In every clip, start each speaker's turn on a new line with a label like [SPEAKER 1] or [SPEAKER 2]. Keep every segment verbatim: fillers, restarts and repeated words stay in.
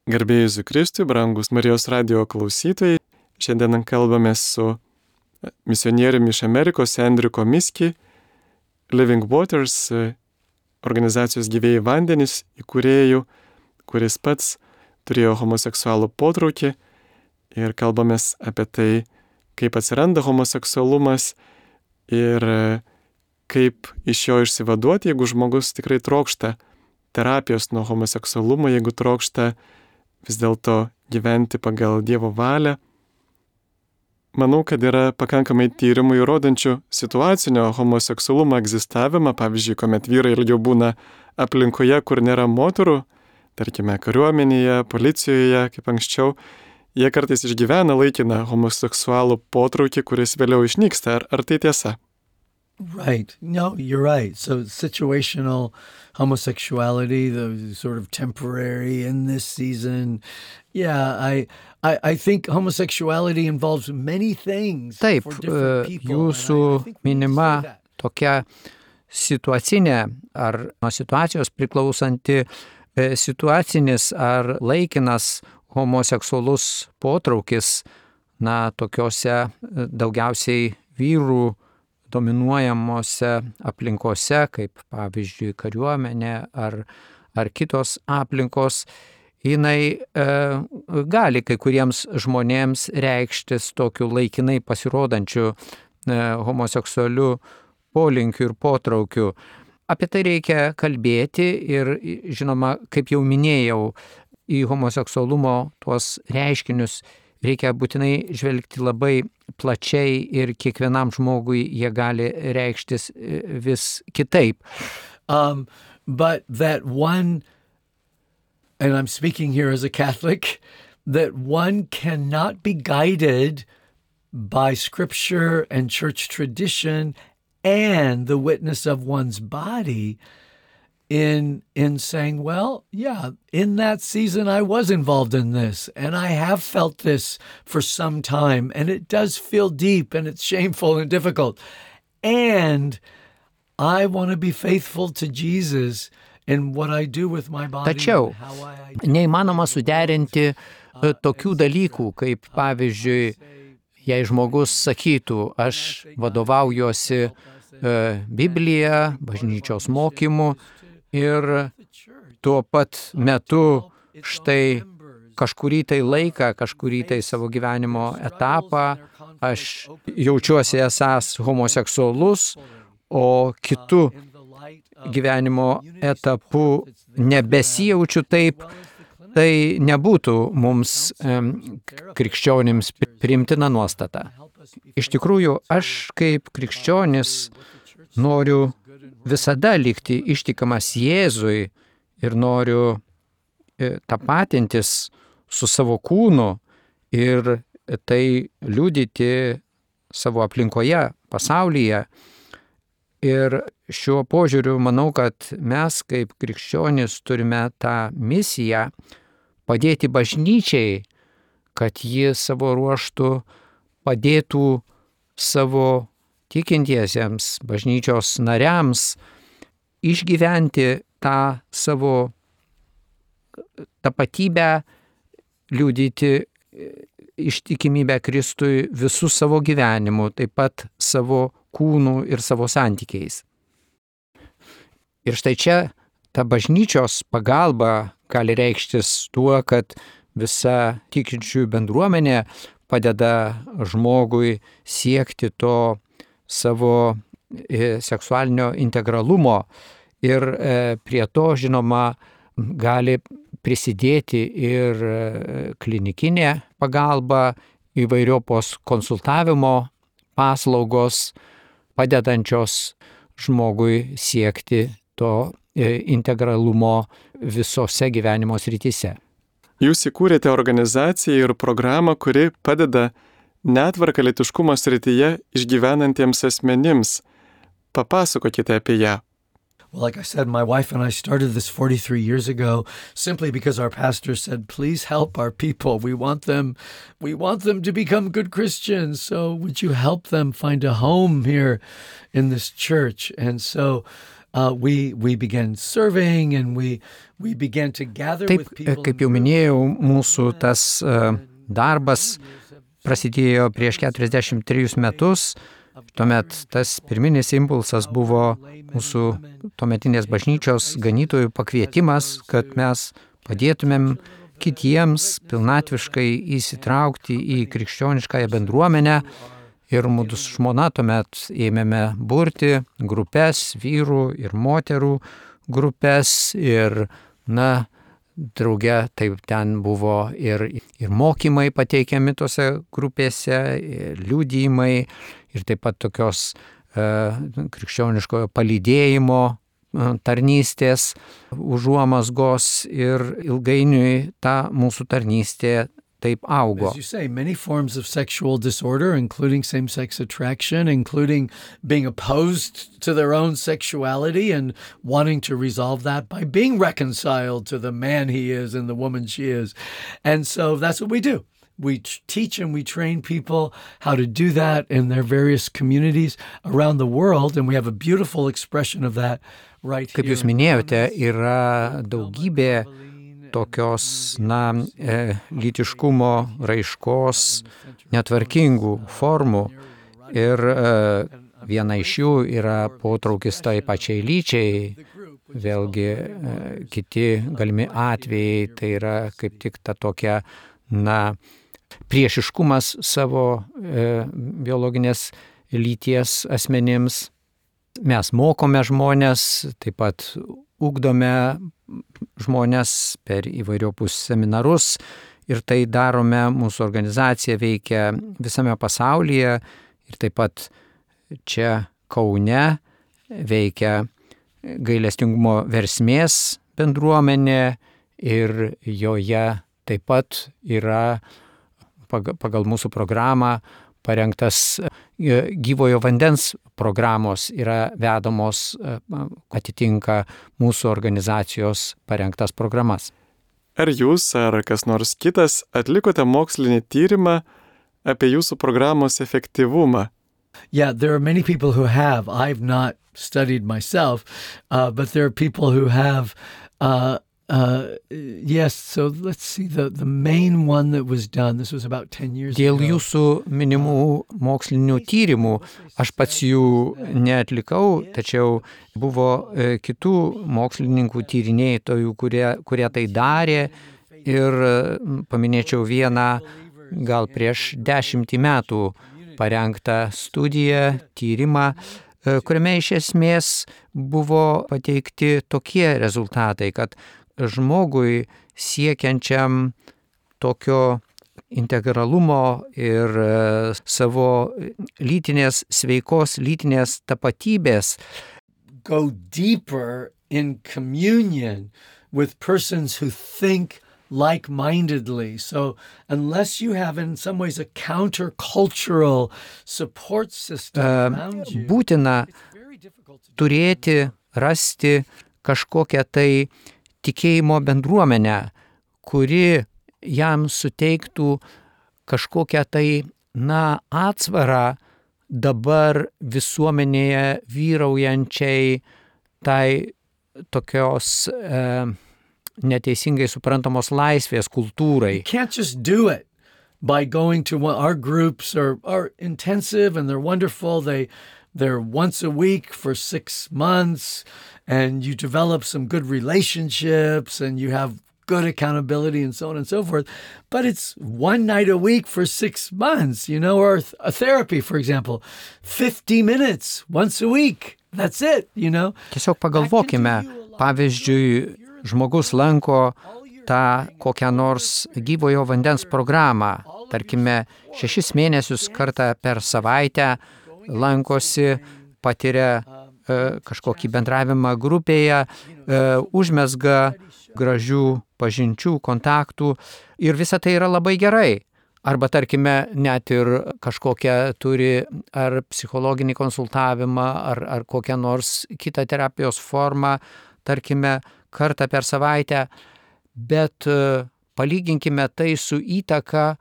[SPEAKER 1] Garbėjai Jėzui Kristui, brangus Marijos radijo klausytojai. Šiandien kalbamės su misionieriumi iš Amerikos Andrew Komiski, Living Waters organizacijos Gyvieji vandenys įkūrėjų, kuris pats turėjo homoseksualų potraukį, ir kalbamės apie tai, kaip atsiranda homoseksualumas ir kaip iš jo išsivaduoti, jeigu žmogus tikrai trokšta terapijos nuo homoseksualumo, jeigu trokšta vis dėlto gyventi pagal Dievo valią. Manau, kad yra pakankamai tyrimų įrodančių situacinio homoseksualumo egzistavimą, pavyzdžiui, kuomet vyrai ilgiau būna aplinkoje, kur nėra moterų, tarkime, kariuomenėje, policijoje, kaip anksčiau, jie kartais išgyvena laikiną homoseksualų potraukį, kuris vėliau išnyksta. Ar, ar tai tiesa?
[SPEAKER 2] Right. No, you're right. So situational homosexuality, the sort of temporary in this season. Yeah, I I, I think homosexuality involves many things.
[SPEAKER 3] Taip,
[SPEAKER 2] for different people.
[SPEAKER 3] Jūsų
[SPEAKER 2] And I- I think we need to
[SPEAKER 3] minima
[SPEAKER 2] say that.
[SPEAKER 3] tokia situacinė ar nuo situacijos priklausanti e, situacinis ar laikinas homoseksualus potraukis, na, tokiose e, daugiausiai vyrų dominuojamose aplinkose, kaip pavyzdžiui kariuomenė ar, ar kitos aplinkos, jinai e, gali kai kuriems žmonėms reikštis tokiu laikinai pasirodančiu e, homoseksualiu polinkiu ir potraukiu. Apie tai reikia kalbėti ir, žinoma, kaip jau minėjau, į homoseksualumo tuos reiškinius reikia būtinai žvelgti labai plačiai ir kiekvienam žmogui jie gali reikštis e, vis kitaip.
[SPEAKER 2] Um, but that one, and I'm speaking here as a Catholic, that one cannot be guided by scripture and church tradition and the witness of one's body in in saying, well, yeah, in that season I was involved in this, and I have felt this for some time, and it does feel deep, and it's shameful and difficult. And I want to be faithful to Jesus in what I do with my body.
[SPEAKER 3] Tačiau
[SPEAKER 2] and how I
[SPEAKER 3] neįmanoma suderinti e, tokių dalykų, kaip pavyzdžiui, jei žmogus sakytų, aš vadovaujuosi e, Biblija, bažnyčios mokymu ir tuo pat metu štai kažkurį tai laiką, kažkurį tai savo gyvenimo etapą aš jaučiuosi esąs homoseksualus, o kitu gyvenimo etapu nebesijaučiu taip, tai nebūtų mums em, krikščionims priimtina nuostata. Iš tikrųjų, aš kaip krikščionis noriu visada likti ištikamas Jėzui ir noriu e, tapatintis su savo kūnu ir tai liudyti savo aplinkoje, pasaulyje. Ir šiuo požiūriu manau, kad mes kaip krikščionys turime tą misiją padėti bažnyčiai, kad ji savo ruožtu padėtų savo tikintiesiems, bažnyčios nariams išgyventi tą savo tapatybę, liudyti ištikimybę Kristui visų savo gyvenimu, taip pat savo kūnų ir savo santykiais. Ir štai čia ta bažnyčios pagalba gali reikštis tuo, kad visa tikinčiųjų bendruomenė padeda žmogui siekti to savo seksualinio integralumo ir prie to, žinoma, gali prisidėti ir klinikinė pagalba, įvairiopos konsultavimo paslaugos, padedančios žmogui siekti to integralumo visose gyvenimo srityse.
[SPEAKER 1] Jūs įkūrėte organizaciją ir programą, kuri padeda netvarką lytiškumo srityje išgyvenantiems asmenims. Papasakokite apie ją.
[SPEAKER 2] Well, like I said, my wife and I started this forty-three years ago simply because our pastor said, please help our people. We want them, we want them to become good Christians. So would you help them find a home here in this church? And so uh, we we began serving and we we began to gather
[SPEAKER 3] Taip,
[SPEAKER 2] with people.
[SPEAKER 3] kaip jau minėjau, mūsų tas uh, darbas prasidėjo prieš keturiasdešimt trejus metus. Tuomet tas pirminis impulsas buvo mūsų tuometinės bažnyčios ganytojų pakvietimas, kad mes padėtumėm kitiems pilnatviškai įsitraukti į krikščioniškąją bendruomenę. Ir mūsų žmona tuomet ėmėme burti grupės, vyrų ir moterų grupės. Ir, na, drauge taip ten buvo ir, ir mokymai pateikiami tose grupėse, ir liudijimai, ir taip pat tokios e, krikščioniškojo palydėjimo tarnystės užuomazgos, ir ilgainiui ta mūsų tarnystė taip augo.
[SPEAKER 2] As you say, many forms of sexual disorder, including same-sex attraction, including being opposed to their own sexuality and wanting to resolve that by being reconciled to the man he is and the woman she is. And so that's what we do. We t- teach and we train people how to do that in their various communities around the world, and we have a beautiful expression of that right here.
[SPEAKER 3] Kaip jūs minėjote, yra daugybė tokios, na, e, lytiškumo raiškos netvarkingų formų, ir e, viena iš jų yra potraukis tai pačiai lyčiai. Vėlgi e, kiti galimi atvejai, tai yra kaip tik ta tokia, na, priešiškumas savo e, biologinės lyties asmenims. Mes mokome žmonės, taip pat ugdome žmonės per įvairiopus seminarus, ir tai darome, mūsų organizacija veikia visame pasaulyje, ir taip pat čia Kaune veikia gailestingumo versmės bendruomenė, ir joje taip pat yra pagal mūsų programą parengtas gyvojo vandens programos, yra vedamos, atitinka mūsų organizacijos parengtas programas.
[SPEAKER 1] Ar jūs ar kas nors kitas atlikote mokslinį tyrimą apie jūsų programos efektyvumą?
[SPEAKER 2] Yeah, there are many people who have. I've not studied myself, uh, but there are people who have. Uh, Uh, yes, so let's see, the, the main one that was done, this was about ten years
[SPEAKER 3] Dėl
[SPEAKER 2] ago.
[SPEAKER 3] jūsų minimų mokslinių tyrimų aš pats jų neatlikau, tačiau buvo e, kitų mokslininkų tyrinėtojų, kurie, kurie tai darė, ir paminėčiau vieną gal prieš dešimtį metų parengtą studiją, tyrimą, e, kuriame iš esmės buvo pateikti tokie rezultatai, kad žmogui siekiančiam tokio integralumo ir savo lytinės, sveikos lytinės tapatybės,
[SPEAKER 2] go deeper in communion with persons who think like-mindedly. So unless you have in some ways a counter-cultural support system around you,
[SPEAKER 3] būtina
[SPEAKER 2] it's very difficult to
[SPEAKER 3] turėti, rasti kažkokią tai tikėjimo bendruomenę, kuri jam suteiktų kažkokią tai, na, atsvarą dabar visuomenėje vyraujančiai tai tokios e, neteisingai suprantamos laisvės kultūrai.
[SPEAKER 2] You can't just do it by going to one, our groups are, are intensive and they're wonderful. They, they're once a week for six months and you develop some good relationships and you have good accountability and so on and so forth. But it's one night a week for six months, you know, or a therapy, for example, fifty minutes once a week. That's it, you know.
[SPEAKER 3] Tiesiog pagalvokime, pavyzdžiui, žmogus lanko tą kokią nors gyvojo vandens programą, tarkime, šešis mėnesius kartą per savaitę lankosi, patiria e, kažkokį bendravimą grupėje, e, užmezga gražių pažinčių, kontaktų ir visa tai yra labai gerai. Arba, tarkime, net ir kažkokią turi ar psichologinį konsultavimą, ar, ar kokią nors kitą terapijos formą, tarkime, kartą per savaitę, bet palyginkime tai su įtaka,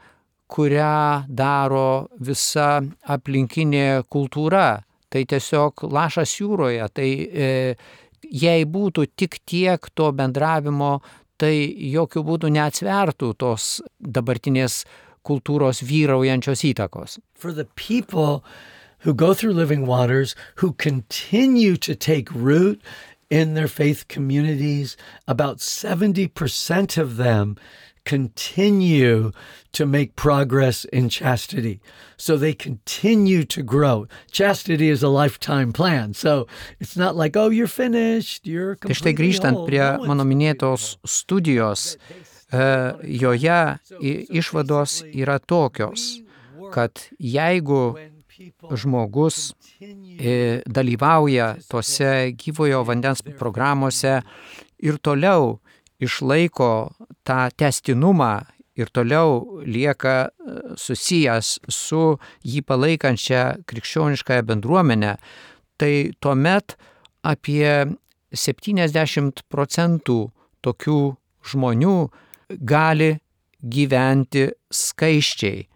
[SPEAKER 3] kurią daro visa aplinkinė kultūra tai tiesiog lašas jūroje, tai e, jei būtų tik tiek to bendravimo, tai jokių būdų neatsvertų tos dabartinės kultūros vyraujančios įtakos.
[SPEAKER 2] For the people who go through Living Waters, who continue to take root in their faith communities, about seventy percent of them continue to make progress in chastity. So they continue to grow. Chastity is a lifetime plan. So it's not like, oh, you're finished, you're
[SPEAKER 3] Tai štai
[SPEAKER 2] completely
[SPEAKER 3] grįžtant
[SPEAKER 2] whole.
[SPEAKER 3] prie
[SPEAKER 2] No,
[SPEAKER 3] mano
[SPEAKER 2] it's-
[SPEAKER 3] minėtos studijos, e, joje i- išvados yra tokios, kad jeigu žmogus e, dalyvauja tose gyvojo vandens programuose ir toliau išlaiko tą tęstinumą ir toliau lieka e, susijęs su jį palaikančia krikščioniškąją bendruomenę, tai tuomet apie septyniasdešimt procentų tokių žmonių gali gyventi skaiščiai.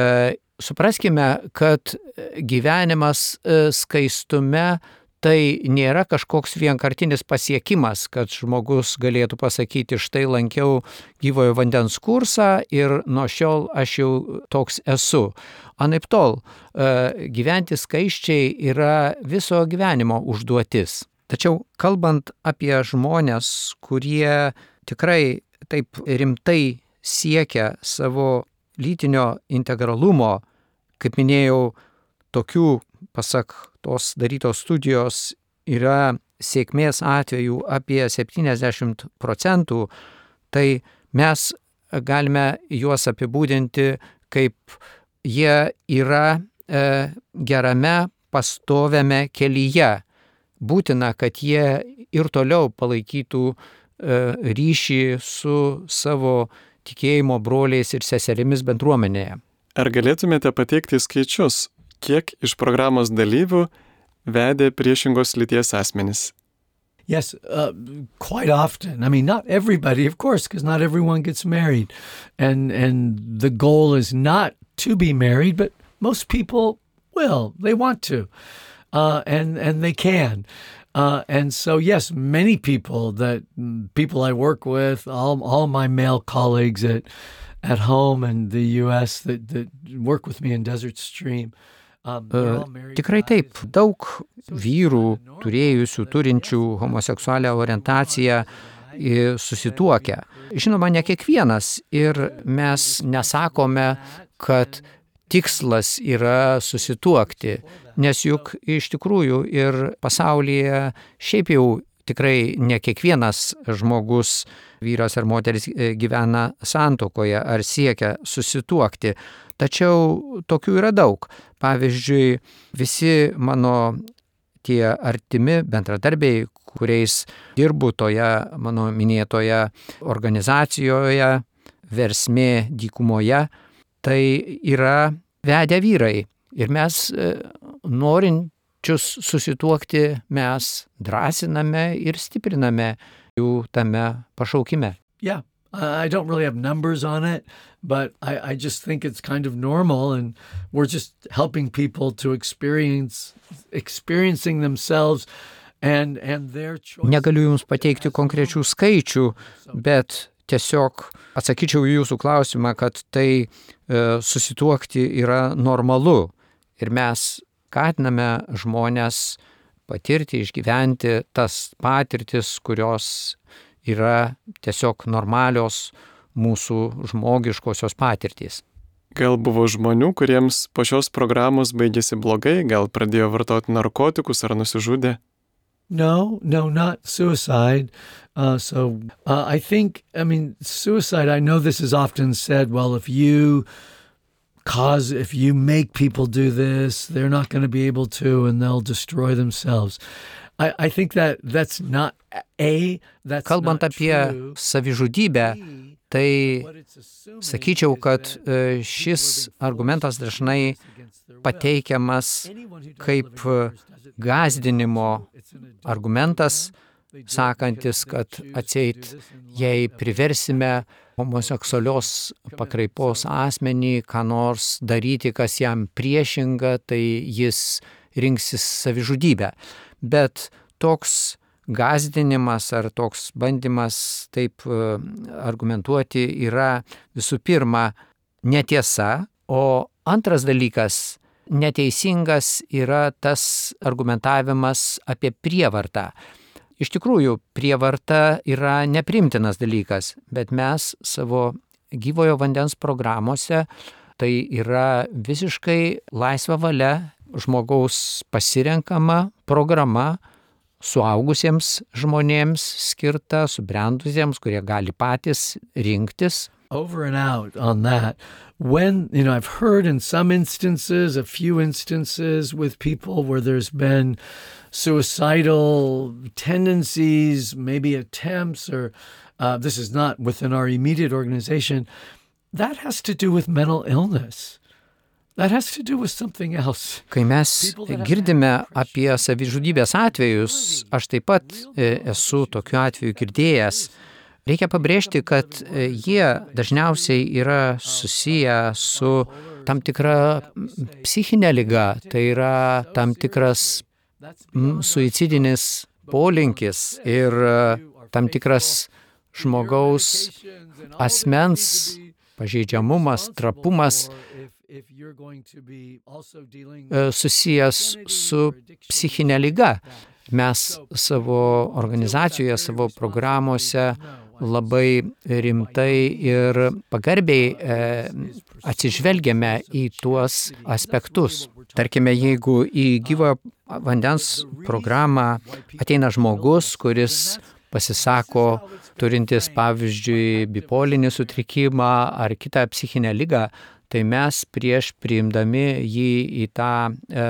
[SPEAKER 3] E, Supraskime, kad gyvenimas e, skaistume tai nėra kažkoks vienkartinis pasiekimas, kad žmogus galėtų pasakyti, štai lankiau gyvojo vandens kursą ir nuo šiol aš jau toks esu. Anaiptol, e, gyventi skaiščiai yra viso gyvenimo užduotis. Tačiau kalbant apie žmonės, kurie tikrai taip rimtai siekia savo lytinio integralumo, kaip minėjau, tokių, pasak tos darytos studijos, yra sėkmės atvejų apie septyniasdešimt procentų, tai mes galime juos apibūdinti kaip jie yra e, gerame, pastoviame kelyje. Būtina, kad jie ir toliau palaikytų e, ryšį su savo tikėjimo broliais ir seserimis bendruomenėje.
[SPEAKER 1] Ar galėtumėte pateikti skaičius, kiek iš programos dalyvių vedė priešingos lyties asmenys?
[SPEAKER 2] Yes, uh, quite often. I mean, not everybody, of course, because not everyone gets married. And and the goal is not to be married, but most people will. They want to. Uh, and, and they can. Uh, and so, yes, many people that people I work with, all, all my male colleagues at at home in the U S that, that work with me in Desert Stream, um, they're all married
[SPEAKER 3] Tikrai
[SPEAKER 2] guys.
[SPEAKER 3] taip, daug vyrų turėjusių, turinčių homoseksualią orientaciją i, susituokia. Žinoma, ne kiekvienas ir mes nesakome, kad tikslas yra susituokti, nes juk iš tikrųjų ir pasaulyje šiaip jau tikrai ne kiekvienas žmogus, vyras ar moteris gyvena santuokoje ar siekia susituokti. Tačiau tokių yra daug. Pavyzdžiui, visi mano tie artimi bendradarbiai, kuriais dirbu toje mano minėtoje organizacijoje, Versmė dykumoje, tai yra vedę vyrai. Ir mes norinčius susituokti mes drąsiname ir stipriname jų tame pašaukime.
[SPEAKER 2] Yeah, I don't really have numbers on it, but I, I just think it's kind of normal, and we're just helping people to experience experiencing themselves and and their choice.
[SPEAKER 3] Negaliu Jums pateikti konkrečių skaičių, bet tiesiog atsakyčiau į Jūsų klausimą, kad tai e, susituokti yra normalu ir mes skatiname žmonės patirti, išgyventi tas patirtis, kurios yra tiesiog normalios mūsų žmogiškosios patirtys.
[SPEAKER 1] Gal buvo žmonių, kuriems po šios programos baigėsi blogai, gal pradėjo vartoti narkotikus ar nusižudė?
[SPEAKER 2] No, no, not suicide. Uh, so uh, I think, I mean, suicide, I know this is often said, well, if you cause, if you make people do this, they're not going to be able to, and they'll destroy themselves. I, I think that that's not, A, that's
[SPEAKER 3] Kalbant
[SPEAKER 2] not
[SPEAKER 3] apie
[SPEAKER 2] true.
[SPEAKER 3] savižudybę, tai
[SPEAKER 2] What it's assuming
[SPEAKER 3] sakyčiau,
[SPEAKER 2] is
[SPEAKER 3] kad
[SPEAKER 2] that
[SPEAKER 3] e, šis argumentas dažnai pateikiamas kaip gąsdinimo argumentas, sakantis, kad atseit, jei priversime homoseksualios pakraipos asmenį, ką nors daryti, kas jam priešinga, tai jis rinksis savižudybę. Bet toks gąsdinimas ar toks bandymas taip argumentuoti yra visų pirma netiesa, o antras dalykas, neteisingas yra tas argumentavimas apie prievartą. Iš tikrųjų, prievarta yra neprimtinas dalykas, bet mes savo gyvojo vandens programuose tai yra visiškai laisva valia žmogaus pasirenkama programa, suaugusiems žmonėms skirta, subrendusiems, kurie gali patys rinktis.
[SPEAKER 2] Over and out on that. When, you know, I've heard in some instances, a few instances with people where there's been suicidal tendencies, maybe attempts, or uh, this is not within our immediate organization, that has to do with mental illness. That has to do with something else.
[SPEAKER 3] Kai mes girdime apie savižudybės atvejus, aš taip pat esu tokiu atveju girdėjęs. Reikia pabrėžti, kad jie dažniausiai yra susiję su tam tikra psichinė liga, tai yra tam tikras suicidinis polinkis ir tam tikras žmogaus asmens pažeidžiamumas, trapumas susijęs su psichinė liga. Mes savo organizacijoje, savo programuose labai rimtai ir pagarbiai e, atsižvelgiame į tuos aspektus. Tarkime, jeigu į gyvojo vandens programą ateina žmogus, kuris pasisako turintis, pavyzdžiui, bipolinį sutrikimą ar kitą psichinę ligą, tai mes prieš priimdami jį į tą e,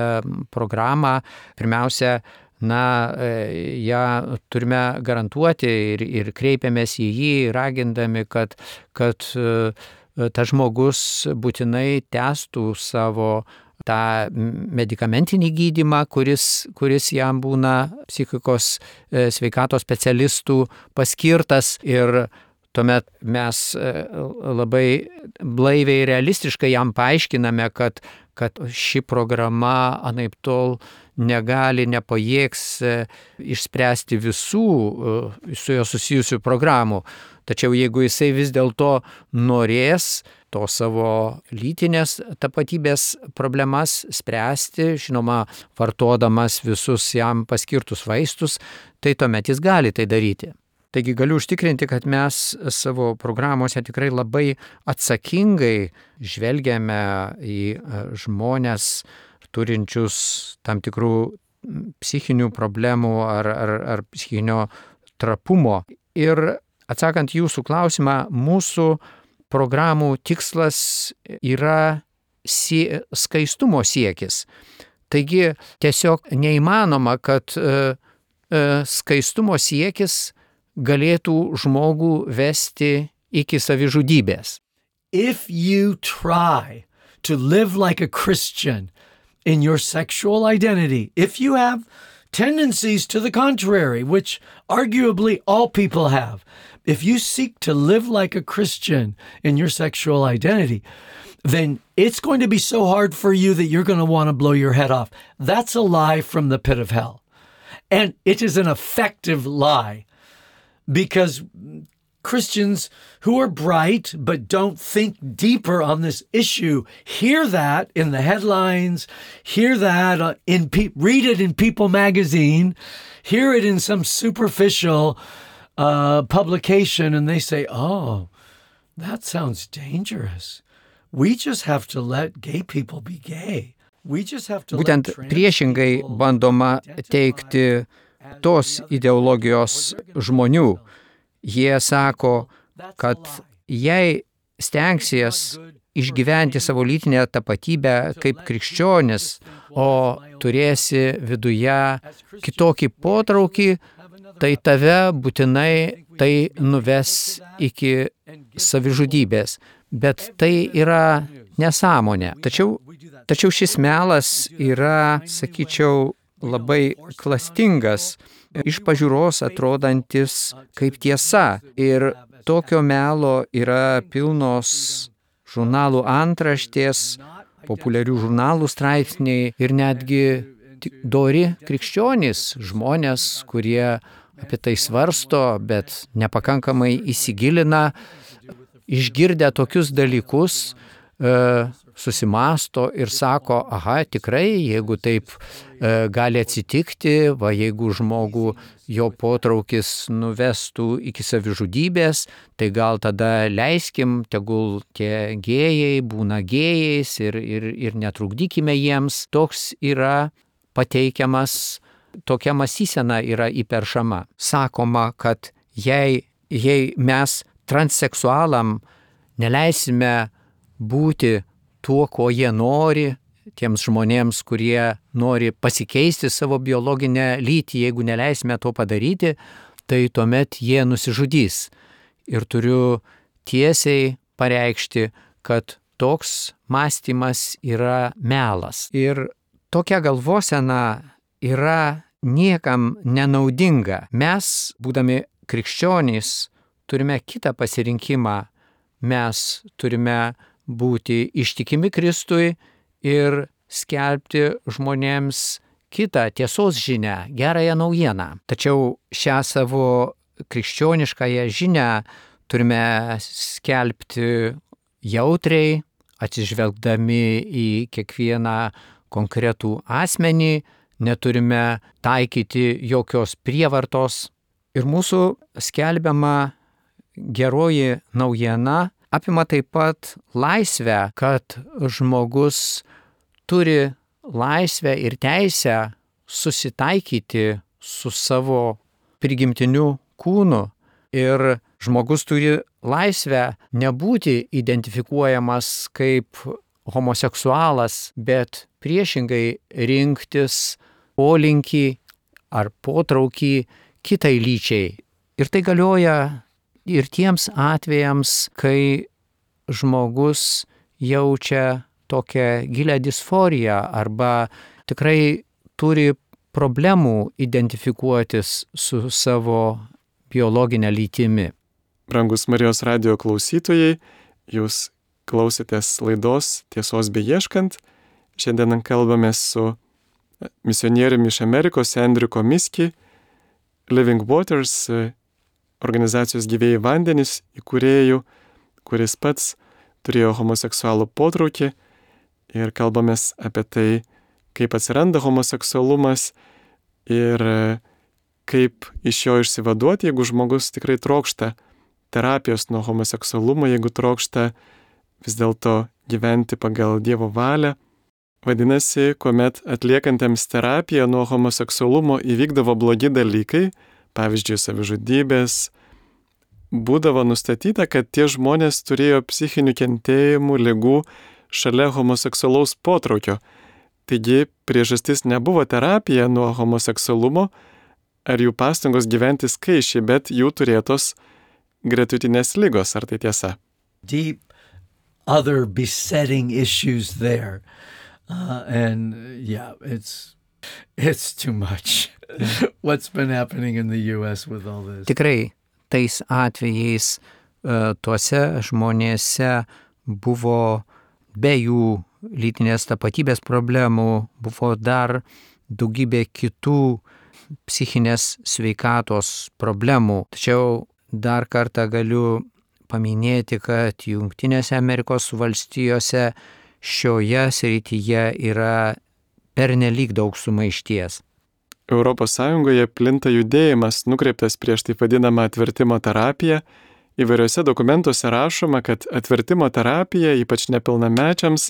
[SPEAKER 3] programą, pirmiausia, na, e, ją turime garantuoti ir, ir kreipiamės į jį, ragindami, kad, kad e, tas žmogus būtinai tęstų savo tą medikamentinį gydymą, kuris, kuris jam būna psichikos e, sveikatos specialistų paskirtas ir tuomet mes labai blaiviai realistiškai jam paaiškiname, kad, kad ši programa anaiptol negali, nepajėgs išspręsti visų su jo susijusių programų. Tačiau jeigu jisai vis dėlto norės to savo lytinės tapatybės problemas spręsti, žinoma, vartodamas visus jam paskirtus vaistus, tai tuomet jis gali tai daryti. Taigi galiu užtikrinti, kad mes savo programuose tikrai labai atsakingai žvelgiame į žmones turinčius tam tikrų psichinių problemų ar, ar, ar psichinio trapumo. Ir atsakant jūsų klausimą, mūsų programų tikslas yra sie, skaistumo siekis. Taigi tiesiog neįmanoma, kad e, e, skaistumo siekis galėtų žmogų vesti iki savižudybės.
[SPEAKER 2] If you try to live like a Christian in your sexual identity, if you have tendencies to the contrary, which arguably all people have, if you seek to live like a Christian in your sexual identity, then it's going to be so hard for you that you're going to want to blow your head off. That's a lie from the pit of hell. And it is an effective lie. Because Christians who are bright but don't think deeper on this issue hear that in the headlines, hear that in pe- read it in People magazine, hear it in some superficial uh, publication, and they say, "Oh, that sounds dangerous. We just have to let gay people be gay. We just have to."
[SPEAKER 3] Būtent priešingai bandoma teikti tos ideologijos žmonių. Jie sako, kad jei stengsies išgyventi savo lytinę tapatybę kaip krikščionis, o turėsi viduje kitokį potraukį, tai tave būtinai tai nuves iki savižudybės. Bet tai yra nesąmonė. Tačiau, tačiau šis melas yra, sakyčiau, labai klastingas, iš pažiūros atrodantis kaip tiesa. Ir tokio melo yra pilnos žurnalų antraštės, populiarių žurnalų straipsniai ir netgi dori krikščionys, žmonės, kurie apie tai svarsto, bet nepakankamai įsigilina, išgirdę tokius dalykus, susimasto ir sako, aha, tikrai, jeigu taip gali atsitikti, va jeigu žmogų jo potraukis nuvestų iki savižudybės, tai gal tada leiskim, tegul tie gėjai būna gėjais ir, ir, ir netrukdykime jiems. Toks yra pateikiamas, tokia mąstysena yra įperšama. Sakoma, kad jei, jei mes transseksualam neleisime būti tuo, ko jie nori, tiems žmonėms, kurie nori pasikeisti savo biologinę lytį, jeigu neleisime to padaryti, tai tuomet jie nusižudys. Ir turiu tiesiai pareikšti, kad toks mąstymas yra melas. Ir tokia galvosena yra niekam nenaudinga. Mes, būdami krikščionys, turime kitą pasirinkimą. Mes turime būti ištikimi Kristui ir skelbti žmonėms kitą tiesos žinią, gerąją naujieną. Tačiau šią savo krikščioniškąją žinią turime skelbti jautriai, atsižvelgdami į kiekvieną konkretų asmenį, neturime taikyti jokios prievartos. Ir mūsų skelbiama geroji naujiena apima taip pat laisvę, kad žmogus turi laisvę ir teisę susitaikyti su savo prigimtiniu kūnu. Ir žmogus turi laisvę nebūti identifikuojamas kaip homoseksualas, bet priešingai rinktis polinkį ar potraukį kitai lyčiai. Ir tai galioja ir tiems atvejams, kai žmogus jaučia tokią gilią disforiją arba tikrai turi problemų identifikuotis su savo biologinė lytimi.
[SPEAKER 1] Brangus Marijos radijo klausytojai, jūs klausėtės laidos Tiesos beieškant. Šiandien kalbame su misionieriumi iš Amerikos Endriu Miski, Living Waters organizacijos Gyvieji vandenys įkūrėjų, kuris pats turėjo homoseksualų potraukį, ir kalbamės apie tai, kaip atsiranda homoseksualumas ir kaip iš jo išsivaduoti, jeigu žmogus tikrai trokšta terapijos nuo homoseksualumo, jeigu trokšta vis dėlto gyventi pagal Dievo valią. Vadinasi, kuomet atliekantiems terapiją nuo homoseksualumo įvykdavo blogi dalykai, pavyzdžiui, savižudybės, būdavo nustatyta, kad tie žmonės turėjo psichinių kentėjimų, ligų šalia homoseksualaus potraukio. Taigi priežastis nebuvo terapija nuo homoseksualumo ar jų pastangos gyventi skaičiai, bet jų turėtos gretutinės ligos. Ar tai tiesa?
[SPEAKER 2] Deep other besetting issues there. Uh, and yeah, it's it's too much. What's been happening in the U S with all this?
[SPEAKER 3] Tikrai tais atvejais tuose žmonėse buvo be jų lytinės tapatybės problemų, buvo dar daugybė kitų psichinės sveikatos problemų. Tačiau dar kartą galiu paminėti, kad Jungtinėse Amerikos valstijose šioje srityje yra pernelyg daug sumaišties.
[SPEAKER 1] Europos Sąjungoje plinta judėjimas nukreiptas prieš taip vadinamą atvertimo terapiją. Įvairiuose dokumentuose rašoma, kad atvertimo terapija, ypač nepilnamečiams,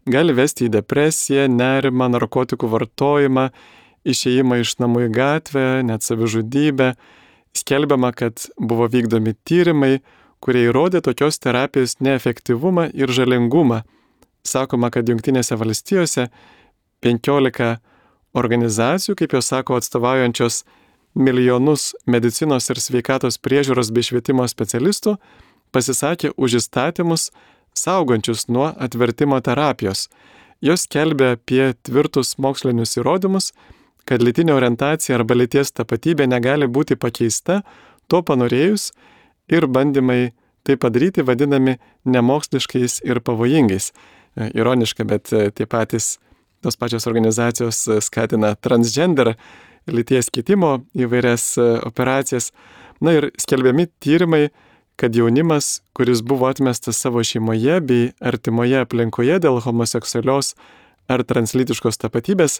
[SPEAKER 1] gali vesti į depresiją, nerimą, narkotikų vartojimą, išėjimą iš namų į gatvę, net savižudybę. Skelbiama, kad buvo vykdomi tyrimai, kurie įrodė tokios terapijos neefektyvumą ir žalingumą. Sakoma, kad Jungtinėse valstijose penkiolika organizacijų, kaip jos sako, atstovaujančios milijonus medicinos ir sveikatos priežiūros bei švietimo specialistų, pasisakė už įstatymus saugančius nuo atvertimo terapijos. Jos skelbia apie tvirtus mokslinius įrodymus, kad lytinė orientacija arba lyties tapatybė negali būti pakeista, to panorėjus, ir bandymai tai padaryti vadinami nemoksliškais ir pavojingais. Ironiška, bet tie patys tos pačios organizacijos skatina transgender, lyties keitimo įvairias operacijas. Na ir skelbiami tyrimai, kad jaunimas, kuris buvo atmestas savo šeimoje bei artimoje aplinkoje dėl homoseksualios ar translytiškos tapatybės,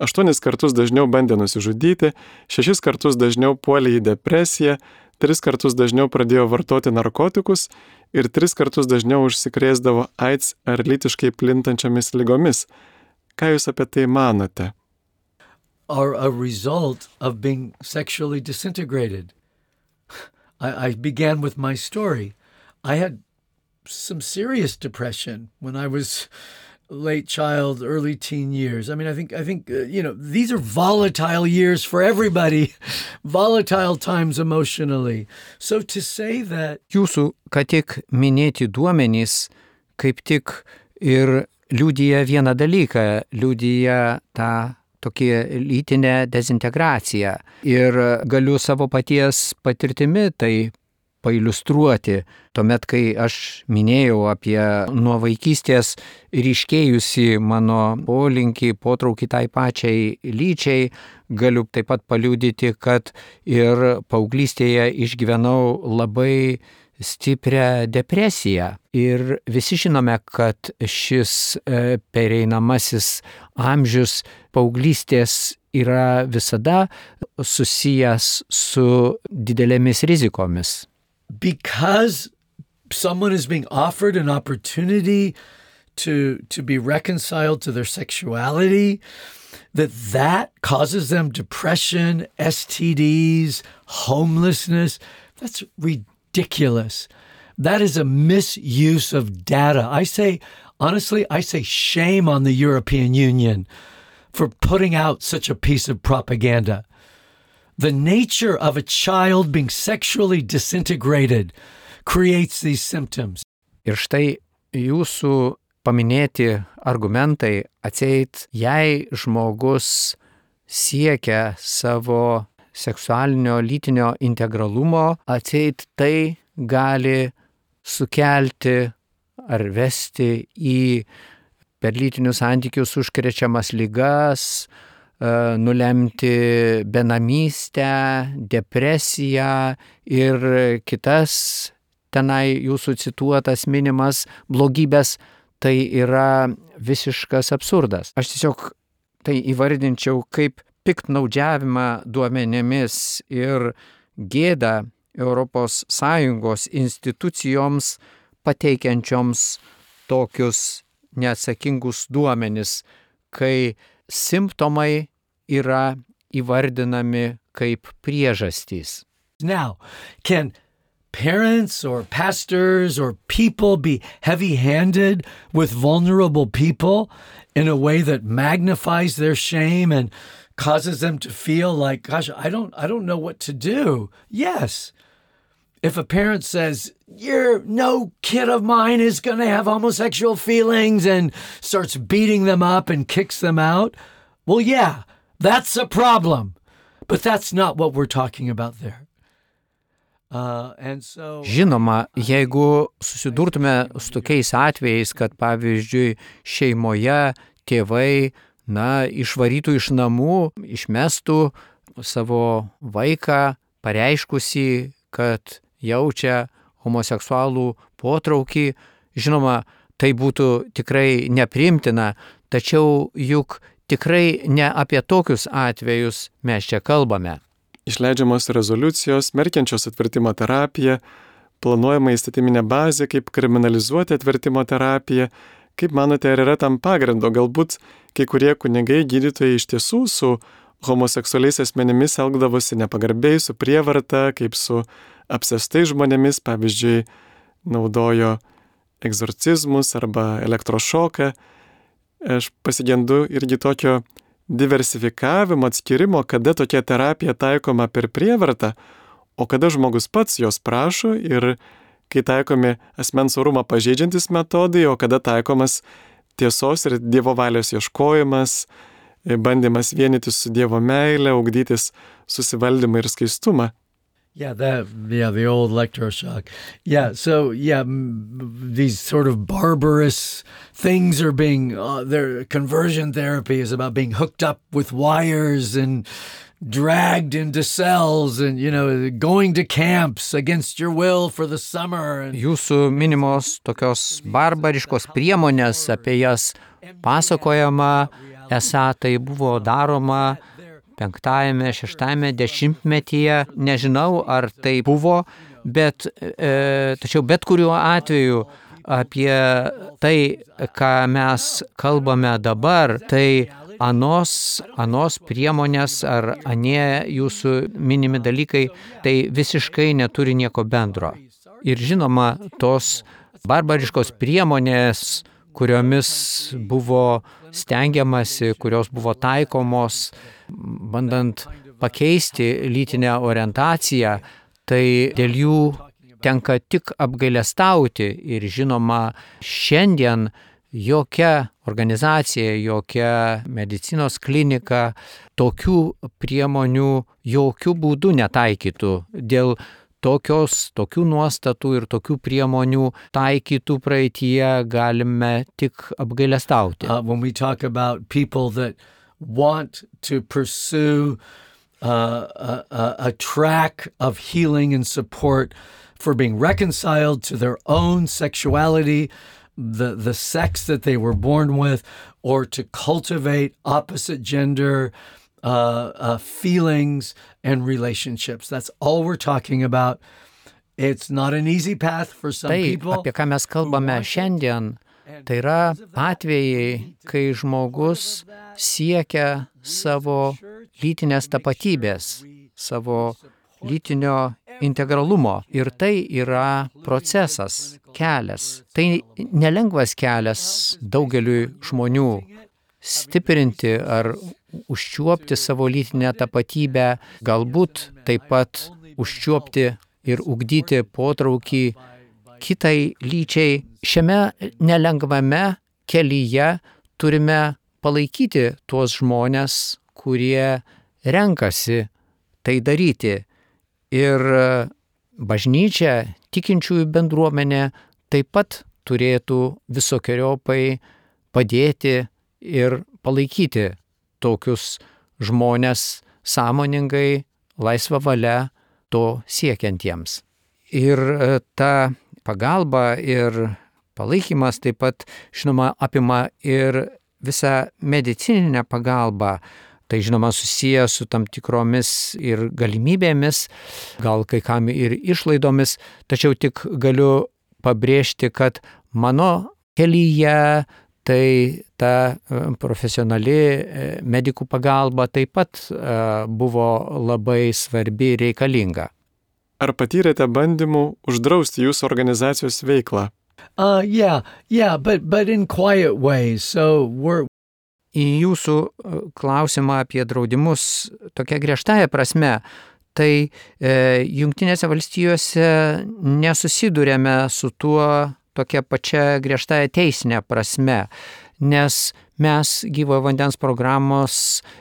[SPEAKER 1] aštuonis kartus dažniau bandė nusižudyti, šešis kartus dažniau puolė į depresiją, tris kartus dažniau pradėjo vartoti narkotikus ir tris kartus dažniau užsikrėsdavo AIDS ar lytiškai plintančiamis ligomis. Ką jūs apie tai manote?
[SPEAKER 2] Are a result of being sexually disintegrated. I, I began with my story. I had some serious depression when I was late child, early teen years. I mean, I think, I think uh, you know, these are volatile years for everybody, volatile times emotionally. So to say that...
[SPEAKER 3] Jūsų, ką tik minėti duomenys, kaip tik ir liudija vieną dalyką, liudija tą tokį lytinę dezintegraciją. Ir galiu savo paties patirtimi tai pailiustruoti. Tuomet, kai aš minėjau apie nuo vaikystės ryškėjusi mano polinkį, potraukį tai pačiai lyčiai, galiu taip pat paliudyti, kad ir paauglystėje išgyvenau labai stiprią depresiją. Ir visi žinome, kad šis pereinamasis amžius paauglystės yra visada susijęs su didelėmis rizikomis.
[SPEAKER 2] Because someone is being offered an opportunity to, to be reconciled to their sexuality, that that causes them depression, S T Ds, homelessness, that's ridiculous. That is a misuse of data. I say, honestly, I say shame on the European Union for putting out such a piece of propaganda. The nature of a child being sexually disintegrated creates these symptoms.
[SPEAKER 3] Ir štai jūsų paminėti argumentai atseit, jei žmogus siekia savo seksualinio lytinio integralumo, atseit tai gali sukelti ar vesti į per lytinius santykius užkrečiamas ligas, nulemti benamystę, depresiją ir kitas tenai jūsų cituotas minimas blogybės, tai yra visiškas absurdas. Aš tiesiog tai įvardinčiau kaip piktnaudžiavimą duomenimis ir gėdą Europos Sąjungos institucijoms pateikiančioms tokius neatsakingus duomenis, kai simptomai yra įvardinami kaip priežastys.
[SPEAKER 2] Now, can parents or pastors or people be heavy-handed with vulnerable people in a way that magnifies their shame and causes them to feel like, gosh, I don't, I don't know what to do? Yes. If a parent says, you're no kid of mine is going to have homosexual feelings and starts beating them up and kicks them out, well, yeah, that's a problem. But that's not what we're talking about there. Uh, and so...
[SPEAKER 3] Žinoma, jeigu susidurtume su tokiais atvejais, kad pavyzdžiui šeimoje tėvai, na, išvarytų iš namų, išmestų savo vaiką, pareiškusį, kad jaučia homoseksualų potraukį, žinoma, tai būtų tikrai nepriimtina, tačiau juk tikrai ne apie tokius atvejus mes čia kalbame.
[SPEAKER 1] Išleidžiamos rezoliucijos, smerkiančios atvertimo terapiją, planuojama įstatyminė bazė, kaip kriminalizuoti atvertimo terapiją. Kaip manote, ar yra tam pagrindo? Galbūt kai kurie kunigai gydytojai iš tiesų su homoseksualiais asmenimis elgdavosi nepagarbiai, su prievarta, kaip su apsėstais žmonėmis, pavyzdžiui, naudojo egzorcizmus arba elektrošoką. Aš pasigendu irgi tokio diversifikavimo, atskirimo, kada tokia terapija taikoma per prievartą, o kada žmogus pats jos prašo ir kai taikomi asmens orumą pažeidžiantis metodai, o kada taikomas tiesos ir Dievo valios ieškojimas, bandymas vienytis su Dievo meile, ugdytis susivaldymą ir skaistumą.
[SPEAKER 2] Yeah, that yeah, the old electroshock. Yeah, so yeah, m- these sort of barbarous things are being uh, their conversion therapy is about being hooked up with wires and dragged into cells and you know going to camps against your will for the summer. And
[SPEAKER 3] Jūsų minimos tokios barbariškos priemonės, apie jas pasakojama, esą tai buvo daroma penktajame, šeštajame dešimtmetyje. Nežinau, ar tai buvo, bet e, tačiau bet kuriuo atveju apie tai, ką mes kalbame dabar, tai anos, anos priemonės ar anie jūsų minimi dalykai, tai visiškai neturi nieko bendro. Ir žinoma, tos barbariškos priemonės, kuriomis buvo stengiamasi, kurios buvo taikomos, bandant pakeisti lytinę orientaciją, tai dėl jų tenka tik apgailestauti. Ir žinoma, šiandien jokia organizacija, jokia medicinos klinika tokių priemonių jokių būdų netaikytų. Dėl tokios, tokių nuostatų ir tokių priemonių taikytų praeityje galime tik apgailestauti.
[SPEAKER 2] uh, when we talk about people that want to pursue uh, a, a, a track of healing and support for being reconciled to their own sexuality, the, the sex that they were born with, or to cultivate opposite gender uh, uh, feelings and relationships. That's all we're talking about. It's not an easy path for some
[SPEAKER 3] Tai,
[SPEAKER 2] people.
[SPEAKER 3] apie ką mes kalbame šiandien, tai yra atvejai, kai žmogus siekia savo lytinės tapatybės, savo lytinio integralumo. Ir tai yra procesas, kelias. Tai nelengvas kelias daugeliui žmonių stiprinti ar užčiuopti savo lytinę tapatybę, galbūt taip pat užčiuopti ir ugdyti potraukį kitai lyčiai. Šiame nelengvame kelyje turime palaikyti tuos žmonės, kurie renkasi tai daryti. Ir bažnyčia, tikinčiųjų bendruomenė taip pat turėtų visokiojopai padėti ir palaikyti tokius žmonės sąmoningai, laisva valia to siekiantiems. Ir ta pagalba ir palaikymas taip pat, žinoma, apima ir visą medicininę pagalbą. Tai, žinoma, susiję su tam tikromis ir galimybėmis, gal kai kam ir išlaidomis, tačiau tik galiu pabrėžti, kad mano kelyje tai ta profesionali medikų pagalba taip pat buvo labai svarbi ir reikalinga.
[SPEAKER 1] Ar patyrėte bandymų uždrausti jūsų organizacijos veiklą?
[SPEAKER 2] Uh, yeah, yeah, but, but in quiet ways. So we're,
[SPEAKER 3] Į jūsų klausimą apie draudimus tokia griežtąja prasme, tai e, Jungtinėse valstijose nesusidurėme su tuo tokia pačia griežtąja teisinė prasme, nes mes gyvojo vandens programos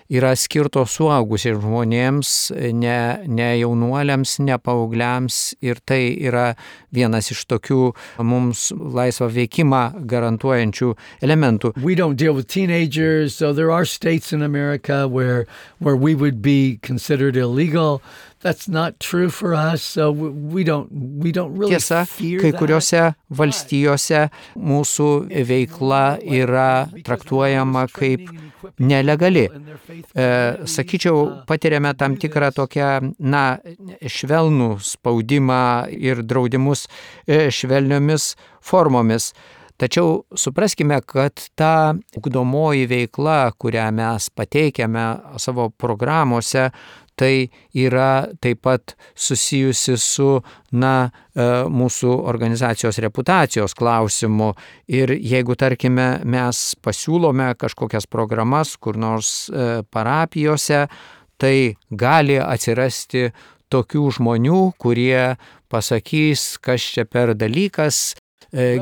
[SPEAKER 3] yra skirtos suaugusiems žmonėms, ne, ne jaunuoliams, ne paaugliams, ir tai yra vienas iš tokių mums laisvą veikimą garantuojančių elementų.
[SPEAKER 2] we don't deal with teenagers, so there are states in America where where we would be considered illegal. That's not true for us, so we don't we don't really
[SPEAKER 3] Tiesa,
[SPEAKER 2] fear
[SPEAKER 3] kai
[SPEAKER 2] that.
[SPEAKER 3] kuriuose valstijose mūsų veikla yra traktuojama kaip nelegali. E, sakyčiau, patiriame tam tikrą tokią, na, švelnų spaudimą ir draudimus e, švelniomis formomis. Tačiau supraskime, kad ta ugdomoji veikla, kurią mes pateikiame savo programuose, tai yra taip pat susijusi su, na, mūsų organizacijos reputacijos klausimu. Ir jeigu, tarkime, mes pasiūlome kažkokias programas kur nors parapijose, tai gali atsirasti tokių žmonių, kurie pasakys, kas čia per dalykas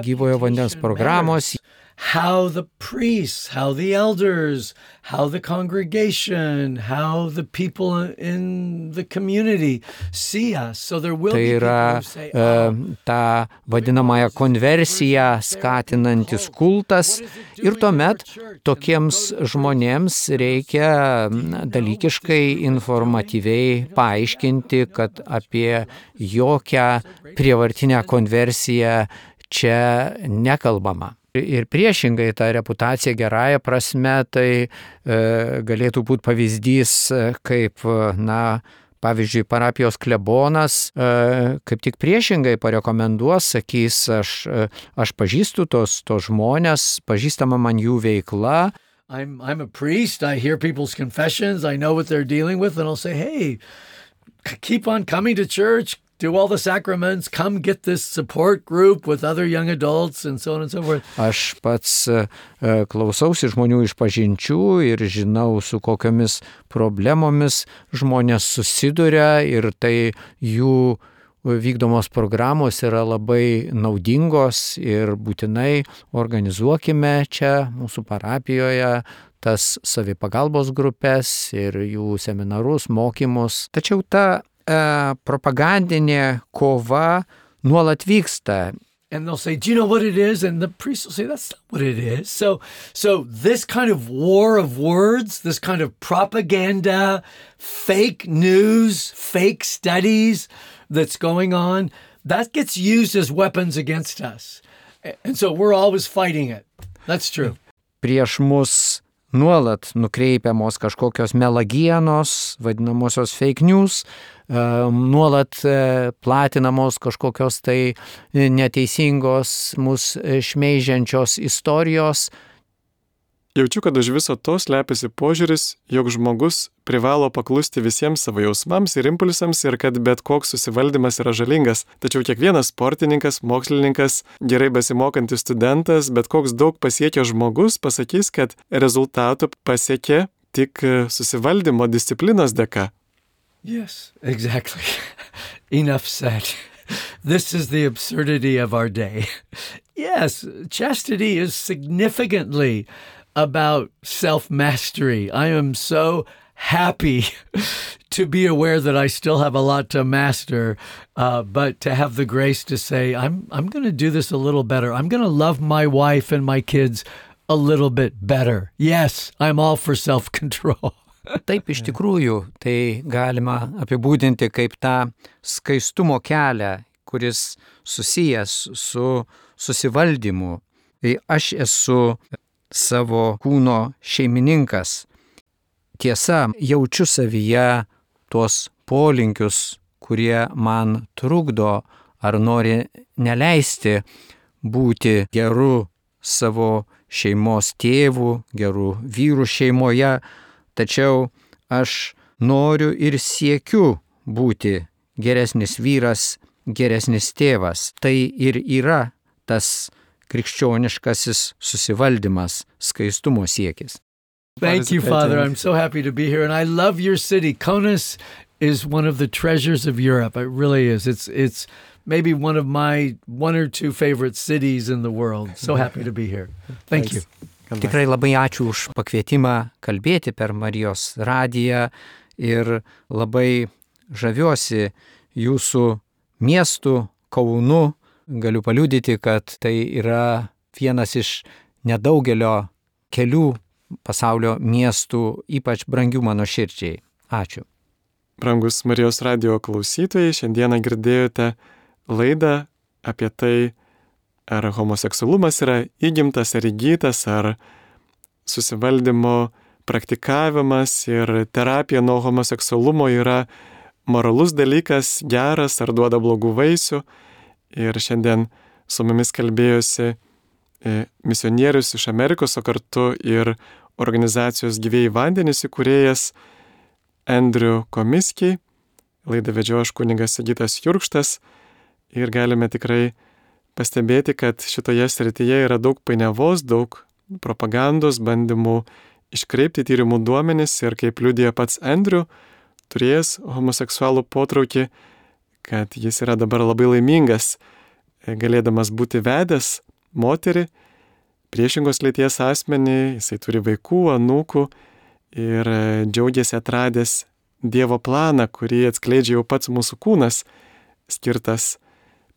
[SPEAKER 3] gyvojo vandens programos.
[SPEAKER 2] how the priests, how the elders, how the congregation, how the people in the community see us. So there will
[SPEAKER 3] Tai
[SPEAKER 2] be people
[SPEAKER 3] yra
[SPEAKER 2] who say,
[SPEAKER 3] e,
[SPEAKER 2] oh,
[SPEAKER 3] ta vadinamąją konversiją skatinantis kultas ir tuomet tokiems žmonėms reikia na, dalykiškai, informatyviai paaiškinti, kad apie jokią prievartinę konversiją čia nekalbama. Ir priešingai ta reputacija gerąja prasme, tai e, galėtų būti pavyzdys, kaip, na, pavyzdžiui, parapijos klebonas e, kaip tik priešingai parekomenduos, sakys, aš, aš pažįstu tos, tos žmonės, pažįstama man jų veikla.
[SPEAKER 2] I'm, I'm a priest, I hear people's confessions, I know what they're dealing with, and I'll say, hey, keep on coming to church, do all the sacraments, come get this support group with other young adults, and so on and so forth.
[SPEAKER 3] Aš pats uh, klausausi žmonių išpažinčių ir žinau, su kokiomis problemomis žmonės susiduria, ir tai jų vykdomos programos yra labai naudingos, ir būtinai organizuokime čia mūsų parapijoje tas savipagalbos grupės ir jų seminarus, mokymus. Tačiau ta propagandinė kova nuolat vyksta.
[SPEAKER 2] And they'll say, do you know what it is? And the priest will say, that's not what it is. So, so this kind of war of words, this kind of propaganda, fake news, fake studies that's going on, that gets used as weapons against us. And so we're always fighting it. That's true.
[SPEAKER 3] Prieš mus nuolat nukreipiamos kažkokios melagienos, vadinamosios fake news, nuolat platinamos kažkokios tai neteisingos, mus šmeižiančios istorijos.
[SPEAKER 1] Jaučiu, kad už viso to slepiasi požiūris, jog žmogus privalo paklusti visiems savo jausmams ir impulsams ir kad bet koks susivaldymas yra žalingas. Tačiau kiekvienas sportininkas, mokslininkas, gerai besimokantis studentas, bet koks daug pasiekęs žmogus pasakys, kad rezultatų pasiekė tik susivaldymo disciplinos dėka.
[SPEAKER 2] Yes, exactly. Enough said. This is the absurdity of our day. Yes, chastity is significantly about self-mastery. I am so happy to be aware that I still have a lot to master, uh, but to have the grace to say, I'm, I'm going to do this a little better. I'm going to love my wife and my kids a little bit better. Yes, I'm all for self-control.
[SPEAKER 3] Taip, iš tikrųjų, tai galima apibūdinti kaip tą skaistumo kelią, kuris susijęs su susivaldymu. Tai aš esu savo kūno šeimininkas. Tiesa, jaučiu savyje tuos polinkius, kurie man trukdo ar nori neleisti būti geru savo šeimos tėvu, geru vyru šeimoje, tačiau aš noriu ir siekiu būti geresnis vyras, geresnis tėvas. Tai ir yra tas krikščioniškasis susivaldymas, skaistumo siekis.
[SPEAKER 2] Thank you, Father. I'm so happy to be here, and I love your city. Kaunas is one of the treasures of Europe. It really is. It's it's maybe one of my one or two favorite cities in the world. So happy to be here. Thank you.
[SPEAKER 3] Tikrai labai ačiū už pakvietimą kalbėti per Marijos radiją ir labai žaviuosi jūsų miestu, Kaunu. Galiu paliudyti, kad tai yra vienas iš nedaugelio kelių pasaulio miestų, ypač brangių mano širdžiai. Ačiū.
[SPEAKER 1] Brangus Marijos radijo klausytojai, šiandieną girdėjote laidą apie tai, ar homoseksualumas yra įgimtas ar įgytas, ar susivaldymo praktikavimas ir terapija nuo homoseksualumo yra moralus dalykas, geras ar duoda blogų vaisių. Ir šiandien su mumis kalbėjosi misionierius iš Amerikos, o kartu ir organizacijos Gyvieji vandenys įkūrėjas Andrew Komisky. Laidą vedžiau aš kunigas Sigitas Jurkštas ir galime tikrai pastebėti, kad šitoje srityje yra daug painiavos, daug propagandos, bandymų iškreipti tyrimų duomenis ir kaip liudija pats Andrew, turėjęs homoseksualų potraukį, kad jis yra dabar labai laimingas, galėdamas būti vedęs moterį, priešingos lyties asmenį, jisai turi vaikų, anūkų ir džiaugiasi atradęs Dievo planą, kurį atskleidžia jau pats mūsų kūnas, skirtas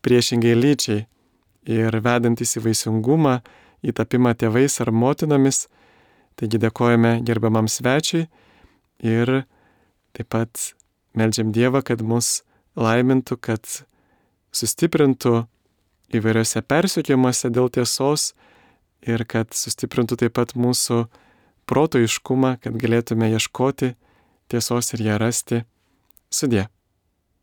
[SPEAKER 1] priešingai lyčiai ir vedantis į vaisingumą, į tapimą tėvais ar motinomis. Taigi dėkojame gerbiamam svečiui ir taip pat meldžiam Dievą, kad mus laimintų, kad sustiprintų įvairiose persekiojimuose dėl tiesos ir kad sustiprintų taip pat mūsų proto aiškumą, kad galėtume ieškoti tiesos ir ją rasti. Sudie.